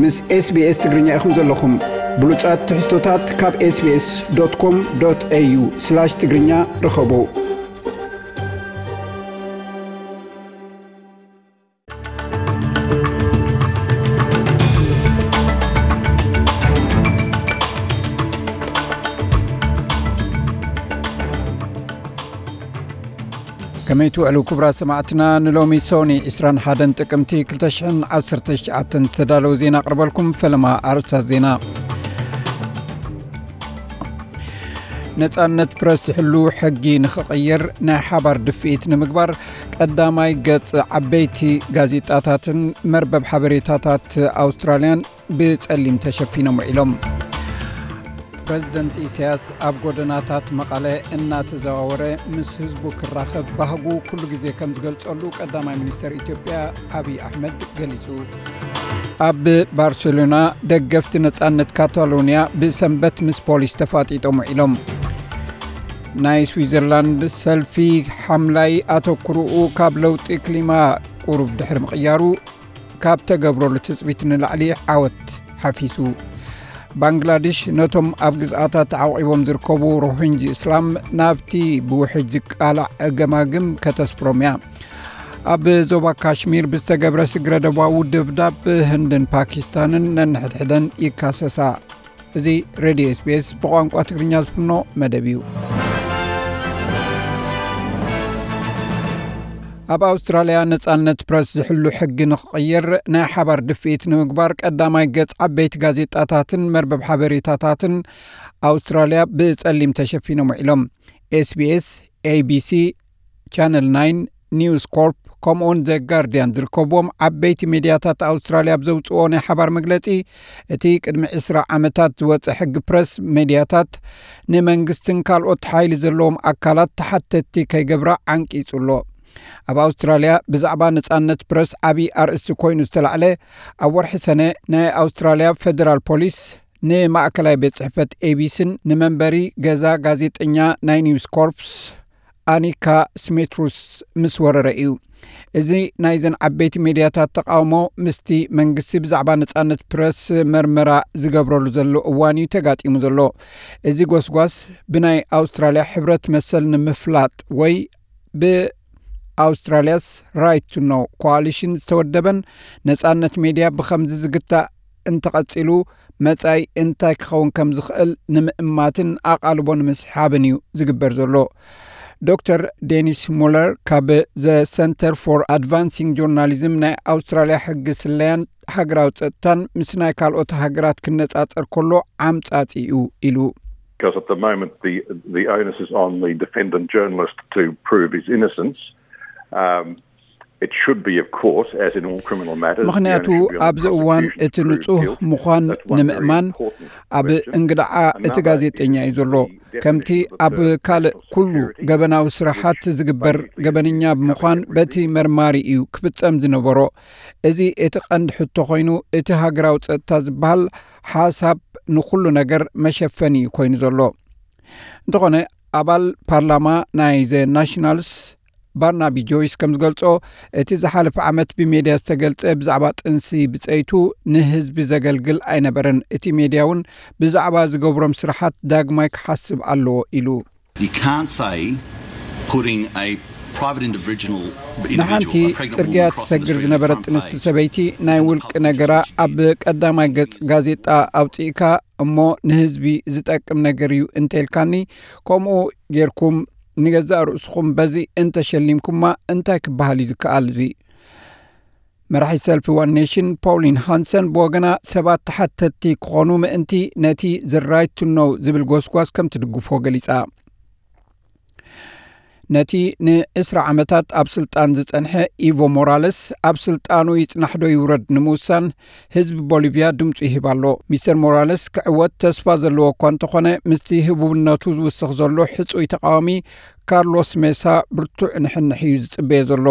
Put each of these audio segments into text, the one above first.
ምስ SBS ትግርኛ ኢኹም ዘለኹም። ብሉጻት ትሕዝቶታት ካብ SBS.com.au/ትግርኛ ርኸቡ። ከመይ ትውዕሉ ክቡራት ሰማዕትና? ንሎሚ ሶኒ ዕስራን ሓደን ጥቅምቲ ክልተ ሽሕን ዓሰርተ ትሽዓተን ዝተዳለወ ዜና ኣቕርበልኩም። ፈለማ ኣርእስታት ዜና። ነጻነት ፕረስ ዝሕሉ ሕጊ ንኽቕየር ናይ ሓባር ድፍኢት ንምግባር ቀዳማይ ገጽ ዓበይቲ ጋዜጣታትን መርበብ ሓበሬታታት ኣውስትራልያን ብጸሊም ተሸፊኖም ውዒሎም። ፕረዚደንት ኢሳያስ ኣብ ጎደናታት መቐለ እናተዘዋወረ ምስ ህዝቡ ክራኸብ ባህጉ ኩሉ ግዜ ከም ዝገልጸሉ ቀዳማይ ሚኒስተር ኢትዮጵያ ኣብይ ኣሕመድ ገሊጹ። ኣብ ባርሴሎና ደገፍቲ ነጻነት ካታሎንያ ብሰንበት ምስ ፖሊስ ተፋጢጦም ውዒሎም። ናይ ስዊዘርላንድ ሰልፊ ሓምላይ ኣተኩርኡ ካብ ለውጢ ክሊማ ቁሩብ ድሕሪ ምቕያሩ ካብ ተገብረሉ ትጽቢት ንላዕሊ ዓወት ሓፊሱ። ባንግላድሽ ነቶም ኣብ ግዝኣታ ተዓቂቦም ዝርከቡ ሮሂንጂ እስላም ናብቲ ብውሕጅ ዝቃላዕ ገማግም ከተስፍሮም እያ። ኣብ ዞባ ካሽሚር ብዝተገብረ ስግረ ደባዊ ደብዳብ ህንድን ፓኪስታንን ነንሕድሕደን ይካሰሳ። እዚ ሬድዮ SBS ብቋንቋ ትግርኛ ዝፍኖ መደብ እዩ። ኣብ ኣውስትራልያ ነጻነት ፕረስ ዝሕሉ ሕጊ ንኽቕየር ናይ ሓባር ድፍኢት ንምግባር ቀዳማይ ገጽ ዓበይቲ ጋዜጣታትን መርበብ ሓበሬታታትን ኣውስትራልያ ብጸሊም ተሸፊኖም ውዒሎም። SBS፣ ABC፣ ቻነል ናይን፣ ኒውስ ኮርፕ ከምኡውን ዘ ጋርዲያን ዝርከብዎም ዓበይቲ ሜድያታት ኣውስትራልያ ኣብ ዘውፅኦ ናይ ሓባር መግለፂ፣ እቲ ቅድሚ ዕስራ ዓመታት ዝወፀ ሕጊ ፕረስ ሜድያታት ንመንግስትን ካልኦት ሓይሊ ዘለዎም ኣካላት ተሓተትቲ ከይገብራ ዓንቂፁ ኣሎ። ኣብ ኣውስትራልያ ብዛዕባ ነፃነት ፕረስ ዓብዪ ኣርእስቲ ኮይኑ ዝተላዕለ፣ ኣብ ወርሒ ሰነ ናይ ኣውስትራልያ ፌደራል ፖሊስ ንማእከላይ ቤት ጽሕፈት ኤቢስን ንመንበሪ ገዛ ጋዜጠኛ ናይ ኒውስ ኮርፕስ ኣኒካ ስሜትሩስ ምስ ወረረ እዩ። እዚ ናይዘን ዓበይቲ ሜድያታት ተቃውሞ ምስቲ መንግስቲ ብዛዕባ ነጻነት ፕረስ መርመራ ዝገብረሉ ዘሎ እዋን እዩ ተጋጢሙ ዘሎ። እዚ ጎስጓስ ብናይ ኣውስትራልያ ሕብረት መሰል ንምፍላጥ ወይ ብኣውስትራልያስ ራይት ቱ ኖው ኮኣሊሽን ዝተወደበን ነጻነት ሜድያ ብኸምዚ ዝግታእ እንተቐጺሉ መጻኢ እንታይ ክኸውን ከም ዝኽእል ንምእማትን ኣቓልቦ ንምስሓብን እዩ ዝግበር ዘሎ። ዶክተር ዴኒስ ሙለር ካብ ዘ ሰንተር ፎር ኣድቫንሲንግ ጆርናሊዝም ናይ ኣውስትራልያ ሕጊ ስለያን ሃገራዊ ጸጥታን ምስ ናይ ካልኦት ሃገራት ክነጻጸር ከሎ ዓምጻጺ እዩ ኢሉ። Because at the moment, the, the onus is on the defendant journalist to prove his innocence. Um, it should be, of course, as in all criminal matters, the ምኽንያቱ onus should be on the ኣብዚ እዋን prosecution እቲ to prove ንጹህ guilt. ምዃን That's one very ንምእማን important ኣብ question. እንግዳዓ እቲ Another ጋዜጠኛ እዩ is ዘሎ። The ከምቲ definition of the ኣብ term ካልእ national ኩሉ security, ገበናዊ ስራሓት which ዝግበር by nuclear ገበነኛ security ብምዃን covers በቲ everything. መርማሪ እዩ ክፍጸም ዝነበሮ። እዚ እቲ ቀንዲ ሕቶ ኮይኑ፣ እቲ ሃገራዊ ጸጥታ ዝበሃል ሓሳብ ንኹሉ ነገር መሸፈኒ እዩ ኮይኑ ዘሎ። እንተኾነ፣ ኣባል ፓርላማ ናይ ዘ ናሽናልስ ባርናቢ ጆይስ ከም ዝገልጾ፣ እቲ ዝሓለፈ ዓመት ብሜድያ ዝተገልጸ ብዛዕባ ጥንሲ ብጸይቱ ንህዝቢ ዘገልግል ኣይነበረን። እቲ ሜድያ እውን ብዛዕባ ዝገብሮም ስራሓት ዳግማይ ክሓስብ ኣለዎ ኢሉ። You can't say putting a private individual, ንሓንቲ individual, a pregnant ጽርግያ woman crossing the ትሰግር street in ዝነበረት front ጥንስቲ page ሰበይቲ ናይ simply ውልቂ constitutes ነገራ ኣብ ቀዳማይ ገጽ ጋዜጣ ኣውጺእካ እሞ ንህዝቢ ዝጠቅም ነገር እዩ እንተኢልካኒ፣ ከምኡ ጌርኩም ንገዛእ ርእስኹም በዚ እንተሸሊምኩማ እንታይ ክበሃል እዩ ዝከኣል? እዚ መራሒ ሰልፊ ዋን ኔሽን ፖውሊን ሃንሰን ብወገና ሰባት ተሓተትቲ ክኾኑ ምእንቲ ነቲ ዘ ራይት ቱ ኖው ዝብል ጎስጓስ ከም ትድግፎ ገሊጻ። ነቲ ንዕስራ ዓመታት ኣብ ስልጣን ዝጸንሐ ኢቮ ሞራለስ ኣብ ስልጣኑ ይጽናሕ ዶ ይውረድ ንምውሳን ህዝቢ ቦሊቭያ ድምጹ ይህብ ኣሎ። ሚስተር ሞራለስ ክዕወት ተስፋ ዘለዎ እኳ እንተኾነ፣ ምስቲ ህቡብነቱ ዝውስኽ ዘሎ ሕጹይ ተቃዋሚ ካርሎስ ሜሳ ብርቱዕ ንሕንሕ እዩ ዝጽበዮ ዘሎ።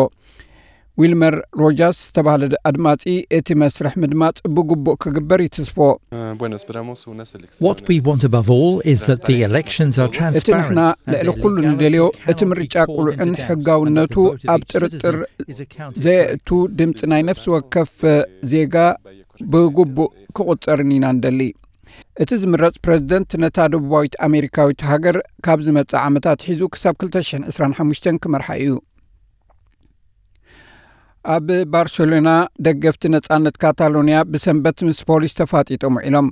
ዊልመር ሮጃርስ ዝተባህለ ኣድማጺ፣ እቲ መስርሕ ምድማጽ ብግቡእ ክግበር ይትስፎ። Eh, bueno, esperamos unas elecciones What we want above all is that the elections are እቲ ንሕና transparent and ልዕሊ their ኩሉ ንደልዮ፣ legality እቲ cannot be ምርጫ called into ቅሉዕን doubt, ሕጋውነቱ and that the ኣብ voting ጥርጥር citizen is accountable ዘየእቱ ድምጺ ናይ ነፍሲ ወከፍ ዜጋ ብግቡእ ክቑጸርን ኢና ንደሊ። እቲ ዝምረጽ ፕረዚደንት ነታ ደቡባዊት ኣሜሪካዊት ሃገር ካብ ዝመጽእ ዓመት ኣትሒዙ ክሳብ ክልተ ሽሕን ዕስራን ሓሙሽተን ክመርሓ እዩ። ኣብ ባርሴሎና ደገፍቲ ነጻነት ካታሎንያ ብሰንበት ምስ ፖሊስ ተፋጢጦም ውዒሎም።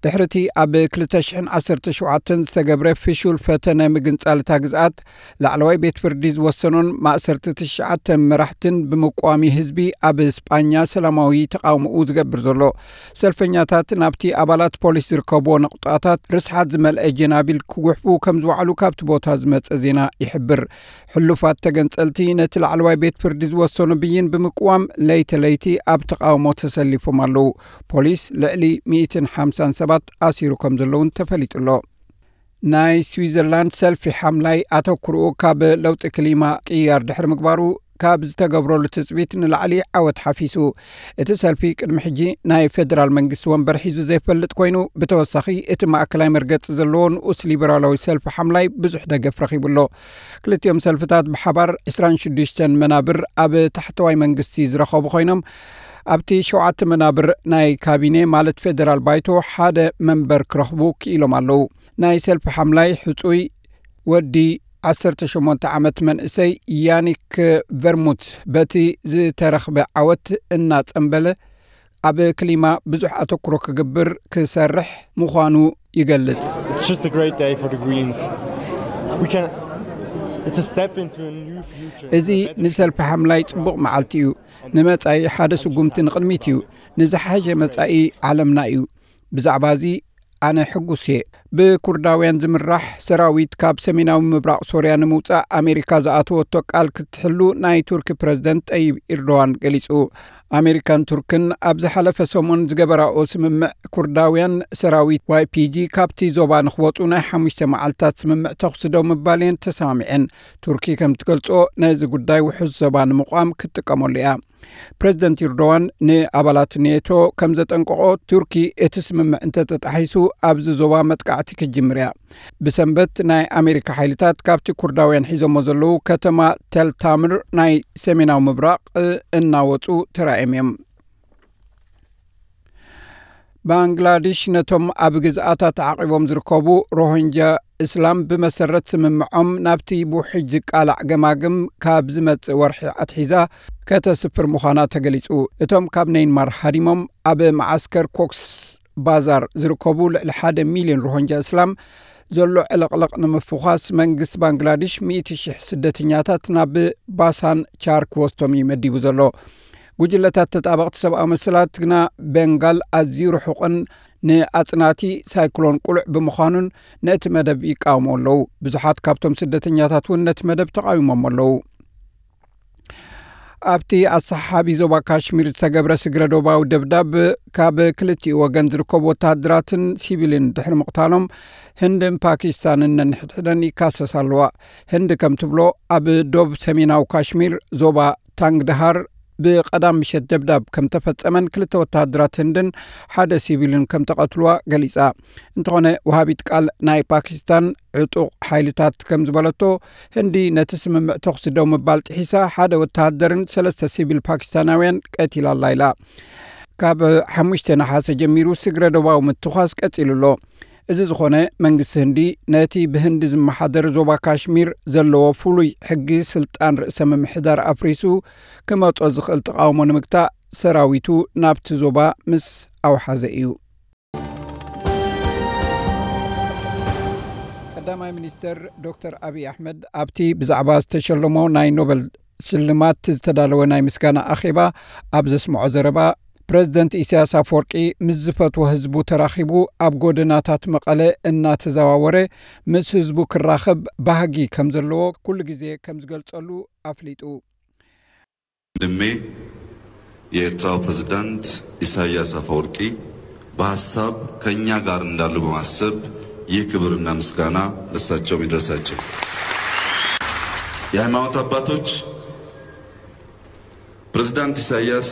ድሕሪ እቲ ኣብ ክልተ ሽሕን ዓሰርተ ሸውዓተን ዝተገብረ ፍሹል ፈተነ ምግንጻል እታ ግዝኣት፣ ላዕለዋይ ቤት ፍርዲ ዝወሰኖን ማእሰርቲ ትሽዓተ መራሕትን ብምቋሚ ህዝቢ ኣብ ስጳኛ ሰላማዊ ተቓውሞኡ ዝገብር ዘሎ። ሰልፈኛታት ናብቲ ኣባላት ፖሊስ ዝርከብዎ ነቑጣታት ርስሓት ዝመልአ ጀናቢል ክጉሕፉ ከም ዝወዓሉ ካብቲ ቦታ ዝመጸ ዜና ይሕብር። ሕሉፋት ተገንጸልቲ ነቲ ላዕለዋይ ቤት ፍርዲ ዝወሰኖ ብይን ብምቅዋም ለይቲ ለይቲ ኣብ ተቓውሞ ተሰሊፎም ኣለዉ። ፖሊስ ልዕሊ ሚእትን ሓምሳን ሰባት ኣሲሩ ከም ዘለውን ተፈሊጡ ኣሎ። ናይ ስዊዘርላንድ ሰልፊ ሓምላይ ኣተኩርኡ ካብ ለውጢ ክሊማ ቅያር ድሕሪ ምግባሩ ካብ ዝተገብረሉ ትጽቢት ንላዕሊ ዓወት ሓፊሱ። እቲ ሰልፊ ቅድሚ ሕጂ ናይ ፌደራል መንግስቲ ወንበር ሒዙ ዘይፈልጥ ኮይኑ፣ ብተወሳኺ እቲ ማእከላይ መርገጺ ዘለዎ ንኡስ ሊበራላዊ ሰልፊ ሓምላይ ብዙሕ ደገፍ ረኺቡ ኣሎ። ክልቲኦም ሰልፍታት ብሓባር ዕስራን ሽዱሽተን መናብር ኣብ ታሕተዋይ መንግስቲ ዝረኸቡ ኮይኖም፣ ኣብቲ ሸውዓተ መናብር ናይ ካቢኔ ማለት ፌደራል ባይቶ ሓደ መንበር ክረኽቡ ክኢሎም ኣለዉ። ናይ ሰልፊ ሓምላይ ሕጹይ ወዲ ዓሰርተ ሸሞንተ ዓመት መንእሰይ ያኒክ ቨርሙት በቲ ዝተረኽበ ዓወት እናጸንበለ ኣብ ክሊማ ብዙሕ ኣተኩሮ ክግብር ክሰርሕ ምዃኑ ይገልጽ። It's just a great day for the Greens. We can. It's a step into a new future. እዚ ንሰልፊ ሓምላይ ጽቡቕ መዓልቲ እዩ። ንመጻኢ ሓደ ስጉምቲ ንቕድሚት እዩ። ንዝሓሸ መጻኢ ዓለምና እዩ። ብዛዕባ እዚ ኣነ ሕጉስ እየ። ብኩርዳውያን ዝምራሕ ሰራዊት ካብ ሰሜናዊ ምብራቕ ሶርያ ንምውጻእ ኣሜሪካ ዝኣተወቶ ቃል ክትሕሉ ናይ ቱርኪ ፕረዚደንት ጠይብ ኢርዶዋን ገሊጹ። ኣሜሪካን ቱርክን ኣብ ዝሓለፈ ሰሙን ዝገበራኦ ስምምዕ፣ ኩርዳውያን ሰራዊት ዋይ ፒ ጂ ካብቲ ዞባ ንክወጹ ናይ ሓሙሽተ መዓልታት ስምምዕ ተኹሲ ደው ምባል እየን ተሰማሚዐን። ቱርኪ ከም ትገልጾ፣ ነዚ ጉዳይ ውሑስ ዞባ ንምቋም ክትጥቀመሉ እያ። ፕረዚደንት ኢርዶዋን ንኣባላት ኔቶ ከም ዘጠንቀቖ፣ ቱርኪ እቲ ስምምዕ እንተተጣሒሱ ኣብዚ ዞባ መጥቃዕቲ ክትጅምር እያ። ብሰንበት ናይ ኣሜሪካ ሓይልታት ካብቲ ኩርዳውያን ሒዞሞ ዘለዉ ከተማ ተልታምር ናይ ሰሜናዊ ምብራቕ እናወጹ ተራእዮም እዮም። ባንግላድሽ ነቶም ኣብ ግዝኣታ ተዓቒቦም ዝርከቡ ሮሂንጃ እስላም ብመሰረት ስምምዖም ናብቲ ብውሕጅ ዝቃላዕ ገማግም ካብ ዝመጽእ ወርሒ ኣትሒዛ ከተስፍር ምዃና ተገሊጹ። እቶም ካብ ነይንማር ሃዲሞም ኣብ መዓስከር ኮክስ ባዛር ዝርከቡ ልዕሊ ሓደ ሚልዮን ሮሂንጃ እስላም ዘሎ ዕልቕልቕ ንምፍዃስ መንግስቲ ባንግላድሽ ሚእቲ ሽሕ ስደተኛታት ናብ ባሳን ቻር ክወስዶም እዩ መዲቡ ዘሎ። ጉጅለታት ተጣበቕቲ ሰብኣዊ መሰላት ግና ቤንጋል ኣዝዩ ርሑቕን ንኣጽናቲ ሳይክሎን ቅሉዕ ብምዃኑን ነቲ መደብ ይቃወሙ ኣለዉ። ብዙሓት ካብቶም ስደተኛታት እውን ነቲ መደብ ተቓዊሞም ኣለዉ። ኣብቲ ኣሰሓሓቢ ዞባ ካሽሚር ዝተገብረ ስግረ ዶባዊ ደብዳብ ካብ ክልቲኡ ወገን ዝርከቡ ወተሃደራትን ሲቪልን ድሕሪ ምቕታሎም ህንድን ፓኪስታንን ነንሕድሕደን ይካሰሳ ኣለዋ። ህንዲ ከም ትብሎ ኣብ ዶብ ሰሜናዊ ካሽሚር ዞባ ታንግድሃር ብቐዳም ምሸት ደብዳብ ከም ተፈጸመን ክልተ ወተሃደራት ህንድን ሓደ ሲቪልን ከም ተቐትልዋ ገሊጻ። እንተኾነ ወሃቢት ቃል ናይ ፓኪስታን ዕጡቕ ሓይልታት ከም ዝበለቶ፣ ህንዲ ነቲ ስምምዕ ተኹሲ ደው ምባል ጥሒሳ ሓደ ወተሃደርን ሰለስተ ሲቪል ፓኪስታናውያን ቀቲላ ኣላ ኢላ። ካብ ሓሙሽተ ነሓሰ ጀሚሩ ስግረ ዶባዊ ምትኳስ ቀጺሉ ኣሎ። እዚ ዝኾነ መንግስቲ ህንዲ ነቲ ብህንዲ ዝመሓደር ዞባ ካሽሚር ዘለዎ ፍሉይ ሕጊ ስልጣን ርእሰ ምምሕዳር ኣፍሪሱ ክመጾ ዝኽእል ተቓውሞ ንምግታእ ሰራዊቱ ናብቲ ዞባ ምስ ኣውሓዘ እዩ። ቀዳማይ ሚኒስተር ዶክተር ኣብይ ኣሕመድ ኣብቲ ብዛዕባ ዝተሸለሞ ናይ ኖበል ሽልማት ዝተዳለወ ናይ ምስጋና ኣኼባ ኣብ ዘስምዖ ዘረባ፣ ፕረዚደንት ኢሳያስ ኣፈወርቂ ምስ ዝፈትዎ ህዝቡ ተራኺቡ ኣብ ጎደናታት መቐለ እናተዘዋወረ ምስ ህዝቡ ክራኸብ ባህጊ ከም ዘለዎ ኩሉ ግዜ ከም ዝገልጸሉ ኣፍሊጡ። ወንድሜ የኤርትራው ፕሬዝዳንት ኢሳያስ አፈወርቂ በሐሳብ ከእኛ ጋር እንዳሉ በማሰብ ይህ ክብርና ምስጋና ለሳቸውም ይድረሳቸው። የሃይማኖት አባቶች ፕሬዝዳንት ኢሳያስ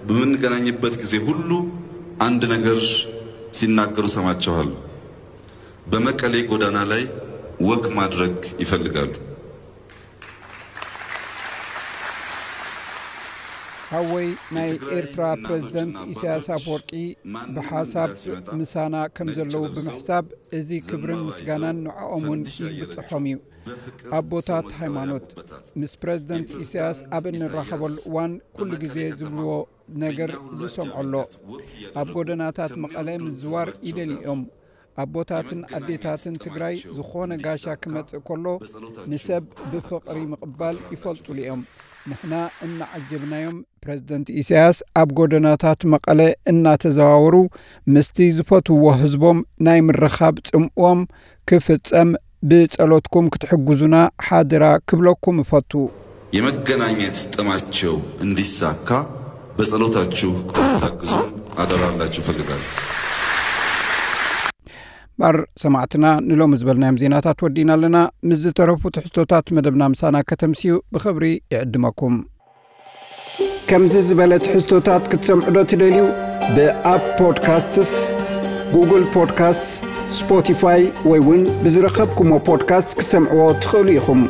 በምንገናኝበት ጊዜ ሁሉ አንድ ነገር ሲናገሩ ሰማቸዋል። በመቀሌ ጎዳና ላይ ወክ ማድረግ ይፈልጋሉ። ሓወይ ናይ ኤርትራ ፕረዚደንት ኢሳያስ ኣፈወርቂ ብሓሳብ ምሳና ከም ዘለዉ ብምሕሳብ፣ እዚ ክብርን ምስጋናን ንዕኦም እውን ይብጽሖም እዩ። ኣቦታት ሃይማኖት፣ ምስ ፕረዚደንት ኢሳያስ ኣብ እንራኸበሉ እዋን ኩሉ ግዜ ዝብልዎ ነገር ዝሰምዖ ኣሎ። ኣብ ጎደናታት መቐለ ምዝዋር ይደልዩ እዮም። ኣቦታትን ኣዴታትን ትግራይ ዝኾነ ጋሻ ክመጽእ ከሎ ንሰብ ብፍቕሪ ምቕባል ይፈልጡሉ እዮም። ንሕና እናዓጀብናዮም፣ ፕረዚደንት ኢሳያስ ኣብ ጎደናታት መቐለ እናተዘዋወሩ ምስቲ ዝፈትውዎ ህዝቦም ናይ ምርኻብ ጽምእዎም ክፍጸም ብጸሎትኩም ክትሕግዙና ሓደራ ክብለኩም እፈቱ። የመገናኘት ጥማቸው እንዲሳካ በጸሎታችሁ ታግዙ አደራላችሁ ፈልጋለሁ። ባር ሰማዕትና ንሎሚ ዝበልናዮም ዜናታት ወዲእና ኣለና። ምስ ዝተረፉ ትሕዝቶታት መደብና ምሳና ከተምስዩ ብኽብሪ ይዕድመኩም። ከምዚ ዝበለ ትሕዝቶታት ክትሰምዑ ዶ ትደልዩ? ብኣፕ ፖድካስትስ፣ ጉግል ፖድካስት፣ ስፖቲፋይ ወይ እውን ብዝረኸብኩሞ ፖድካስት ክትሰምዕዎ ትኽእሉ ኢኹም።